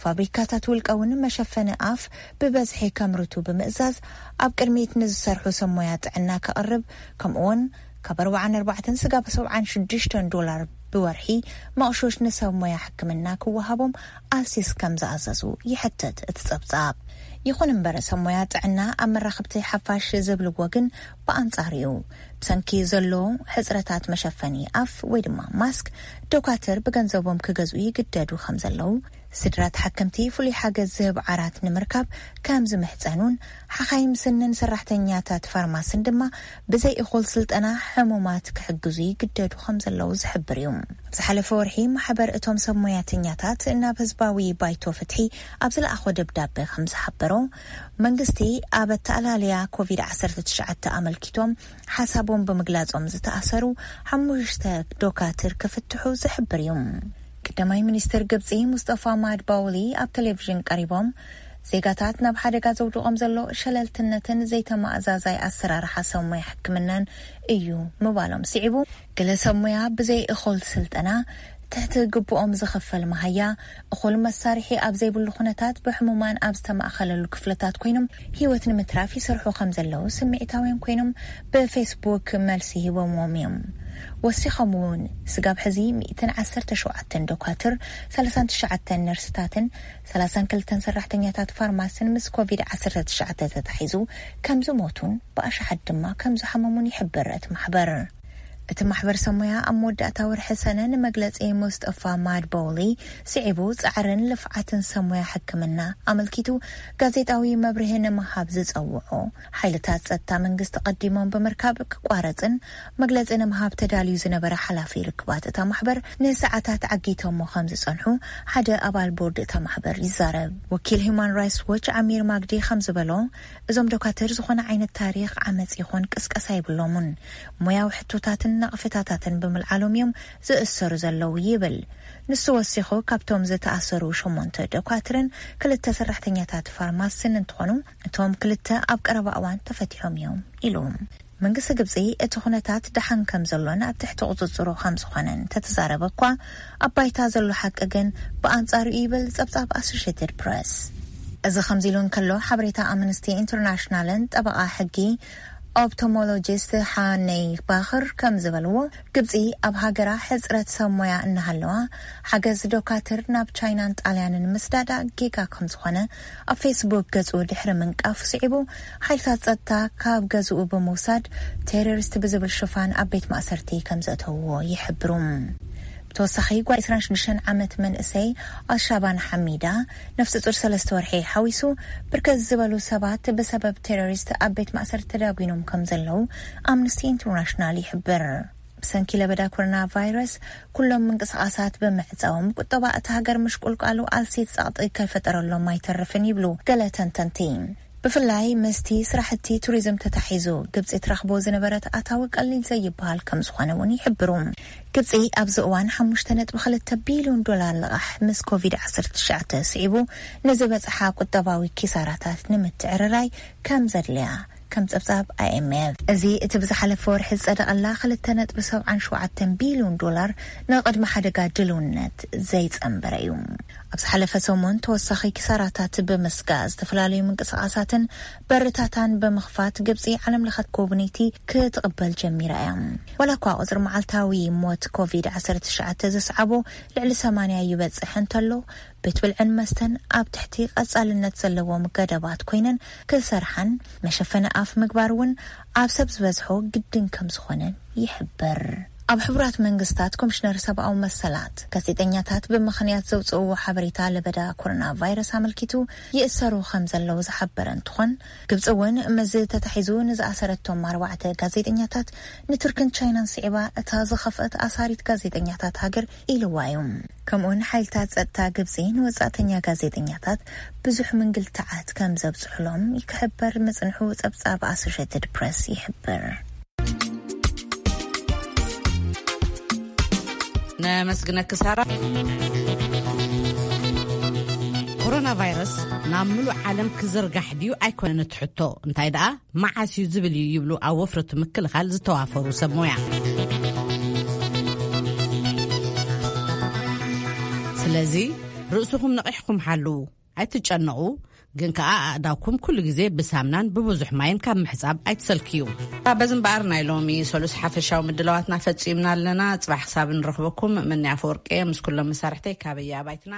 ፋብሪካታት ውልቀ እውን መሸፈኒ ኣፍ ብበዝሒ ከምርቱ ብምእዛዝ፣ ኣብ ቅድሚት ንዝሰርሑ ሰብ ሞያ ጥዕና ከቕርብ፣ ከምኡ እውን ካብ ኣርባዓን ኣርባዕተን ስጋብ ሰብዓን ሽዱሽተን ዶላር ብወርሒ መቕሾሽ ንሰብ ሞያ ሕክምና ክወሃቦም ኣልሲስ ከም ዝኣዘዙ ይሕትት እቲ ጸብጻብ። ይኹን እምበር፣ ሰብ ሞያ ጥዕና ኣብ መራኸብቲ ሓፋሽ ዝብልዎ ግን ብኣንጻሩ እዩ። ብሰንኪ ዘሎ ሕጽረታት መሸፈኒ ኣፍ ወይ ድማ ማስክ፣ ዶካትር ብገንዘቦም ክገዝኡ ይግደዱ ከም ዘለዉ፣ ስድራ ተሓከምቲ ፍሉይ ሓገዝ ዝህብ ዓራት ንምርካብ ከም ዝምሕጸኑን፣ ሓኻይም ስንን ሰራሕተኛታት ፋርማስን ድማ ብዘይ እኹል ስልጠና ሕሙማት ክሕግዙ ይግደዱ ከም ዘለዉ ዝሕብር እዩ። ኣብ ዝሓለፈ ወርሒ፣ ማሕበር እቶም ሰብ ሞያተኛታት ናብ ህዝባዊ ባይቶ ፍትሒ ኣብ ዝለኣኾ ደብዳበ ከም ዝሓበሮ፣ መንግስቲ ኣብ ኣተኣላልያ ኮቪድ ዓሰርተ ትሽዓተ ኣመልኪቶም ሓሳቦም ብምግላጾም ዝተኣሰሩ ሓሙሽተ ዶካትር ክፍትሑ ዝሕብር እዩ። ቀዳማይ ሚኒስትር ግብጺ ሙስጠፋ ማድባውሊ ኣብ ቴሌቪዥን ቀሪቦም፣ ዜጋታት ናብ ሓደጋ ዘውድቖም ዘሎ ሸለልትነትን ዘይተማእዛዛይ ኣሰራርሓ ሰብ ሞያ ሕክምናን እዩ ምባሎም ስዒቡ፣ ገለ ሰብ ሞያ ብዘይ እኹል ስልጠና፣ ትሕቲ ግቡኦም ዝኽፈል መሃያ፣ እኹል መሳርሒ ኣብ ዘይብሉ ኩነታት፣ ብሕሙማን ኣብ ዝተማእከለሉ ክፍልታት ኮይኖም ህይወት ንምትራፍ ይሰርሑ ከም ዘለዉ ስምዒታውያን ኮይኖም ብፌስቡክ መልሲ ሂቦምዎም እዮም። ወሲኾም እውን፣ ስጋብ ሕዚ ሚእትን ዓሰርተ ሸውዓተን ዶካትር፣ ሰላሳን ትሽዓተን ነርስታትን ሰላሳን ክልተን ሰራሕተኛታት ፋርማስን ምስ ኮቪድ ዓሰርተ ትሽዓተ ተታሒዙ ከም ዝሞቱን ብኣሽሓት ድማ ከም ዝሓመሙን ይሕብር እቲ ማሕበር። እቲ ማሕበር ሰብ ሞያ ኣብ መወዳእታ ወርሒ ሰነ ንመግለጺ ሙስጠፋ ማድቦሊ ስዒቡ፣ ጻዕርን ልፍዓትን ሰብ ሞያ ሕክምና ኣመልኪቱ ጋዜጣዊ መብርሂ ንምሃብ ዝጸውዖ፣ ሓይልታት ጸጥታ መንግስቲ ቀዲሞም ብምርካብ ክቋረጽን መግለጺ ንምሃብ ተዳልዩ ዝነበረ ሓላፊ ርክባት እታ ማሕበር ንሰዓታት ዓጊቶሞ ከም ዝጸንሑ ሓደ ኣባል ቦርድ እታ ማሕበር ይዛረብ። ወኪል ሂዩማን ራይትስ ዎች ኣሚር ማግዲ ከም ዝበሎ፣ እዞም ዶካትር ዝኾነ ዓይነት ታሪኽ ዓመጽ ይኹን ቅስቀሳ የብሎምን። ሞያዊ ሕቶታትን ነቕፌታታትን ብምልዓሎም እዮም ዝእሰሩ ዘለዉ ይብል። ንሱ ወሲኹ፣ ካብቶም ዝተኣሰሩ ሸሞንተ ዶካትርን ክልተ ሰራሕተኛታት ፋርማስን እንትኾኑ፣ እቶም ክልተ ኣብ ቀረባ እዋን ተፈቲሖም እዮም ኢሉ። መንግስቲ ግብጺ እቲ ኩነታት ደሓን ከም ዘሎን ኣብ ትሕቲ ቁጽጽሩ ከም ዝኾነን እንተተዛረበ እኳ፣ ኣብ ባይታ ዘሎ ሓቂ ግን ብኣንጻሩ እዩ ይብል ጸብጻብ ኣሶሼትድ ፕረስ። እዚ ከምዚ ኢሉ እንከሎ፣ ሓበሬታ ኣምነስቲ ኢንተርናሽናልን ጠበቓ ሕጊ ኦፕቶሞሎጂስት ሓነይ ባኽር ከም ዝበልዎ፣ ግብጺ ኣብ ሃገራ ሕጽረት ሰብ ሞያ እናሃለዋ፣ ሓገዝ ዶካትር ናብ ቻይናን ጣልያንን ምስዳዳ ጌጋ ከም ዝኾነ ኣብ ፌስቡክ ገጹ ድሕሪ ምንቃፉ ስዒቡ፣ ሓይልታት ጸጥታ ካብ ገዝኡ ብምውሳድ፣ ቴሮሪስት ብዝብል ሽፋን ኣብ ቤት ማእሰርቲ ከም ዘእተውዎ ይሕብሩ። ብተወሳኺ፣ ጓል ዕስራን ሽዱሽተን ዓመት መንእሰይ ኣልሻባን ሓሚዳ፣ ነፍሰ ጡር ሰለስተ ወርሒ ሓዊሱ፣ ብርከት ዝበሉ ሰባት ብሰበብ ቴሮሪስት ኣብ ቤት ማእሰርቲ ተዳጒኖም ከም ዘለዉ ኣምነስቲ ኢንተርናሽናል ይሕብር። ብሰንኪ ለበዳ ኮሮና ቫይረስ፣ ኩሎም ምንቅስቓሳት ብምዕጻዎም፣ ቁጠባ እታ ሃገር ምሽቁልቃሉ ኣልሲት ጸቕጢ ከይፈጠረሎም ኣይተርፍን ይብሉ ገለ ተንተንቲ። ብፍላይ ምስቲ ስራሕቲ ቱሪዝም ተታሒዙ፣ ግብጺ ትረኽቦ ዝነበረት ኣታዊ ቀሊል ዘይበሃል ከም ዝኾነ እውን ይሕብሩ። ግብጺ ኣብዚ እዋን ሓሙሽተ ነጥቢ ክልተ ቢልዮን ዶላር ልቓሕ ምስ ኮቪድ ዓሰርተ ትሽዓተ ስዒቡ ንዝበጽሓ ቁጠባዊ ኪሳራታት ንምትዕርራይ ከም ዘድልያ ከም ጸብጻብ ኣይ ኤም ኤፍ። እዚ እቲ ብዝሓለፈ ወርሒ ዝጸደቐላ ክልተ ነጥቢ ሰብዓን ሸውዓተን ቢልዮን ዶላር ንቕድሚ ሓደጋ ድልውነት ዘይጸንበረ እዩ። ኣብ ዝሓለፈ ሰሙን ተወሳኺ ኪሳራታት ብምስጋእ፣ ዝተፈላለዩ ምንቅስቓሳትን በርታታን ብምኽፋት፣ ግብጺ ዓለም ለኸ ጎብነይቲ ክትቕበል ጀሚራ እያ። ዋላ እኳ ቁጽሪ መዓልታዊ ሞት ኮቪድ ዓሰርተ ትሽዓተ ዘስዓቦ ልዕሊ ሰማንያ ይበጽሕ እንተሎ፣ ቤት ብልዕን መስተን ኣብ ትሕቲ ቀጻልነት ዘለዎም ገደባት ኮይነን ክሰርሓን፣ መሸፈኒ ኣፍ ምግባር እውን ኣብ ሰብ ዝበዝሖ ግድን ከም ዝኾነን ይሕበር። ኣብ ሕቡራት መንግስታት ኮሚሽነር ሰብኣዊ መሰላት፣ ጋዜጠኛታት ብምኽንያት ዘውፅእዎ ሓበሬታ ለበዳ ኮሮና ቫይረስ ኣመልኪቱ ይእሰሩ ከም ዘለዉ ዝሓበረ እንትኾን፣ ግብፂ እውን ምስዚ ተታሒዙ ንዝኣሰረቶም ኣርባዕተ ጋዜጠኛታት ንቱርክን ቻይናን ስዒባ እታ ዝኸፍአት ኣሳሪት ጋዜጠኛታት ሃገር ኢልዋ እዩ። ከምኡውን ሓይልታት ጸጥታ ግብጺ ንወጻእተኛ ጋዜጠኛታት ብዙሕ ምንግልታዓት ከም ዘብጽሑሎም ይክሕበር ምጽንሑ ጸብጻብ ኣሶሼትድ ፕረስ ይሕብር። ነመስግነኪ ሳራ። ኮሮና ቫይረስ ናብ ምሉእ ዓለም ክዝርጋሕ ድዩ ኣይኮነን እቲ ሕቶ፣ እንታይ ደኣ መዓስ እዩ ዝብል እዩ ይብሉ ኣብ ወፍሪ እቲ ምክልኻል ዝተዋፈሩ ሰብ ሞያ። ስለዚ ርእስኹም ነቒሕኩም ሓልዉ፣ ኣይትጨነቑ። ግን ከኣ ኣእዳውኩም ኩሉ ግዜ ብሳምናን ብብዙሕ ማይን ካብ ምሕጻብ ኣይትሰልክዩ። በዚ እምበኣር ናይ ሎሚ ሰሉስ ሓፈሻዊ ምድላዋትና ፈጺምና ኣለና። ጽባሕ ክሳብ ንረኽበኩም፣ ምንያ ኣፈወርቂ ምስ ኩሎም መሳርሕተይ ካበየ ኣባይትና